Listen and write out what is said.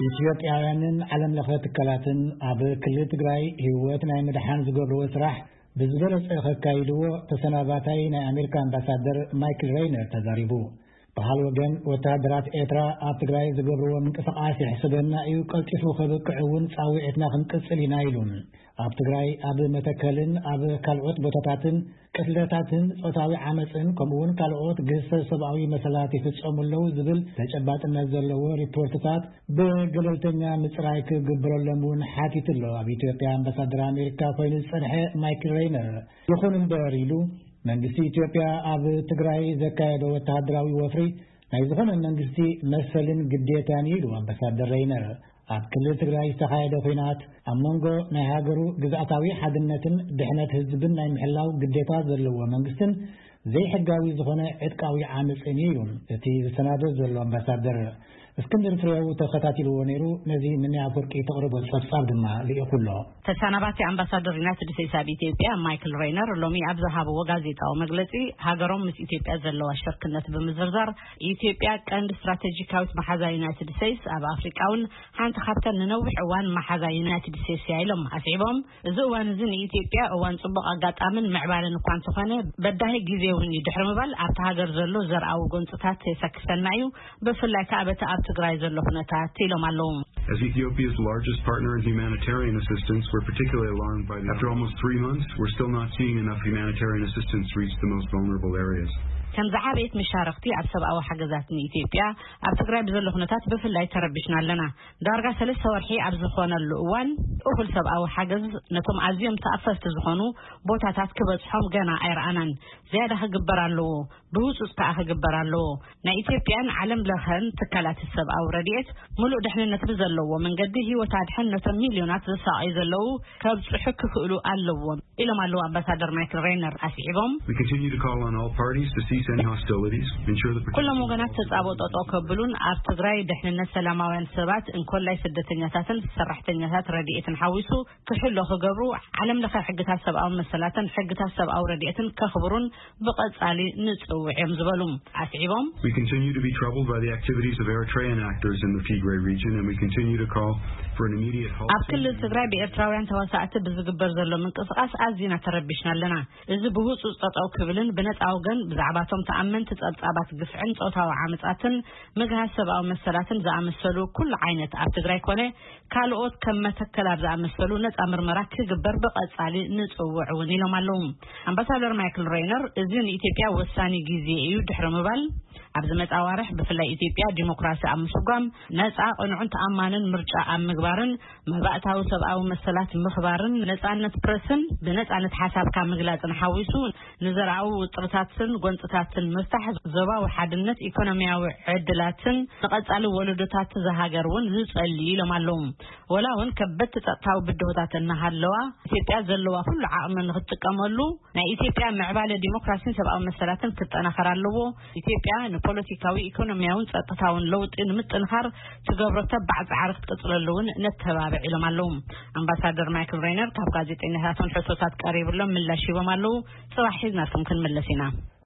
ኢትዮጵያውያንን ዓለም ለኸ ትካላትን ኣብ ክልል ትግራይ ህይወት ናይ ምድሓን ዝገብርዎ ስራሕ ብዝበለጸ ከካይድዎ ተሰናባታይ ናይ ኣሜሪካ ኣምባሳደር ማይክል ሬይነር ተዛሪቡ። ብኻል ወገን፣ ወተሃደራት ኤርትራ ኣብ ትግራይ ዝገብርዎ ምንቅስቓስ ይሕስበና እዩ፣ ቀልጢፉ ከብቅዕ እውን ጻውዒትና ክንቅጽል ኢና ኢሉ። ኣብ ትግራይ፣ ኣብ መተከልን ኣብ ካልኦት ቦታታትን ቅትለታትን ጾታዊ ዓመጽን ከምኡ እውን ካልኦት ግህሰት ሰብኣዊ መሰላት ይፍጸሙ ኣለዉ ዝብል ተጨባጥነት ዘለዎ ሪፖርትታት ብገለልተኛ ምጽራይ ክግበረሎም እውን ሓቲቱ ኣሎ ኣብ ኢትዮጵያ ኣምባሳደር ኣሜሪካ ኮይኑ ዝጸንሐ ማይክል ሬይነር። ይኹን እምበር ኢሉ፣ መንግስቲ ኢትዮጵያ ኣብ ትግራይ ዘካየዶ ወተሃደራዊ ወፍሪ ናይ ዝኾነ መንግስቲ መሰልን ግዴታን ኢሉ ኣምባሳደር ሬይነር። ኣብ ክልል ትግራይ ዝተኻየደ ኲናት ኣብ መንጎ ናይ ሃገሩ ግዝኣታዊ ሓድነትን ድሕነት ህዝብን ናይ ምሕላው ግዴታ ዘለዎ መንግስትን ዘይሕጋዊ ዝኾነ ዕጥቃዊ ዓመፅን እዩ ኢሉ እቲ ዝሰናዶ ዘሎ ኣምባሳደር። እስክንድር ፍሬው ተኸታቲልዎ ነይሩ። ነዚ ንንያ ኣፈወርቂ ተቕርቦ ጸብጻብ ድማ ልኢኹ ኣሎ። ተሰናባቲ ኣምባሳደር ዩናይትድ ስቴትስ ኣብ ኢትዮጵያ ማይክል ሬይነር ሎሚ ኣብ ዝሃብዎ ጋዜጣዊ መግለጺ፣ ሃገሮም ምስ ኢትዮጵያ ዘለዋ ሽርክነት ብምዝርዛር፣ ኢትዮጵያ ቀንዲ ስትራቴጂካዊት መሓዛ ዩናይትድ ስቴትስ፣ ኣብ ኣፍሪቃ እውን ሓንቲ ካብተን ንነዊሕ እዋን መሓዛ ዩናይትድ ስቴትስ እያ ኢሎም ኣስዒቦም። እዚ እዋን እዚ ንኢትዮጵያ እዋን ጽቡቕ ኣጋጣምን ምዕባለን እኳ እንተኾነ፣ በዳሂ ግዜ እውን እዩ ድሕሪ ምባል፣ ኣብቲ ሃገር ዘሎ ዘርኣዊ ጎንጽታት የሰክፈና እዩ፣ ብፍላይ ከኣ በቲ ኣብ ትግራይ ዘሎ ኩነታት ኢሎም ኣለዉ። As Ethiopia's largest partner in humanitarian assistance, we're particularly alarmed by the, after almost three months, we're still not seeing enough humanitarian assistance reach the most vulnerable areas. ከም ዝዓበየት መሻርኽቲ ኣብ ሰብኣዊ ሓገዛት ንኢትዮጵያ፣ ኣብ ትግራይ ብዘሎ ኩነታት ብፍላይ ተረቢሽና ኣለና። ዳርጋ ሰለስተ ወርሒ ኣብ ዝኾነሉ እዋን፣ እኹል ሰብኣዊ ሓገዝ ነቶም ኣዝዮም ተኣፈፍቲ ዝኾኑ ቦታታት ክበጽሖም ገና ኣይረኣናን። ዝያዳ ክግበር ኣለዎ፣ ብህጹጽ ከኣ ክግበር ኣለዎ። ናይ ኢትዮጵያን ዓለም ለኸን ትካላት ሰብኣዊ ረድኤት፣ ምሉእ ድሕንነት ብዘለዎ መንገዲ ህይወት ኣድሕን ነቶም ሚልዮናት ዝሳቐዩ ዘለዉ ከብጽሑ ክኽእሉ ኣለዎም ኢሎም ኣለዉ ኣምባሳደር ማይክል ሬይነር ኣስዒቦም። We continue to call on all parties to cease any hostilities, ensure the protection ኩሎም ወገናት ተጻብኦ ጠጠው ከብሉን ኣብ ትግራይ ድሕንነት ሰላማውያን ሰባት እንኮላይ ስደተኛታትን ሰራሕተኛታት ረድኤትን ሓዊሱ ክሕሎ ክገብሩ፣ ዓለም ለኸ ሕግታት ሰብኣዊ መሰላትን ሕግታት ሰብኣዊ ረድኤትን ከኽብሩን ብቐጻሊ ንጽውዕ እዮም ዝበሉ ኣስዒቦም። We continue to be troubled by the activities of Eritrean actors in the Tigray region, and we continue to call for an immediate halt. ኣብ ክልል ትግራይ ብኤርትራውያን ተዋሳእቲ ብዝግበር ዘሎ ምንቅስቓስ ኣዚና ተረቢሽና ኣለና። እዚ ብህጹጽ ጠጠው ክብልን ብነጻ ወገን ብዛዕባቶም ተኣመንቲ ጸብጻባት ግፍዕን ጾታዊ ዓመጻትን ምግሃስ ሰብኣዊ መሰላትን ዝኣመሰሉ ኩሉ ዓይነት ኣብ ትግራይ ኮነ ካልኦት ከም መተከል ኣብ ዝኣመሰሉ ነጻ ምርመራ ክግበር ብቐጻሊ ንጽውዕ እውን ኢሎም ኣለዉ። ኣምባሳደር ማይክል ሬይነር፣ እዚ ንኢትዮጵያ ወሳኒ ግዜ እዩ ድሕሪ ምባል፣ ኣብ ዝመጽእ ኣዋርሕ ብፍላይ ኢትዮጵያ ዲሞክራሲ ኣብ ምስጓም ነጻ፣ ቅኑዕን ተኣማንን ምርጫ ኣብ ምግባርን መባእታዊ ሰብኣዊ መሰላት ምኽባርን ነጻነት ፕረስን ብነጻነት ሓሳብካ ምግላጽን ሓዊሱ ንዘርኣዊ ውጥርታትን ጎንጽታትን ምፍታሕ ዞባዊ ሓድነት ኢኮኖሚያዊ ዕድላትን ንቐጻሊ ወለዶታት እዛ ሃገር እውን ዝጸሊ ኢሎም ኣለዉ። ወላ እውን ከበድቲ ጸጥታዊ ብድሆታት እናሃለዋ ኢትዮጵያ ዘለዋ ኩሉ ዓቕሚ ንክትጥቀመሉ ናይ ኢትዮጵያ ምዕባለ ዲሞክራሲን ሰብኣዊ መሰላትን ክጠናኸር ኣለዎ። ኢትዮጵያ ንፖለቲካዊ፣ ኢኮኖሚያውን ጸጥታውን ለውጢ ንምጥንኻር ትገብሮ ተባዕ ጻዕሪ ክትቅጽለሉ እውን ነተባብዕ ኢሎም ኣለዉ። ኣምባሳደር ማይክል ሬይነር ካብ ጋዜጠኛታትን ሕቶታት ቀሪብሎም ምላሽ ሂቦም ኣለዉ። ጽባሕ ሒዝናልኩም ክንምለስ ኢና።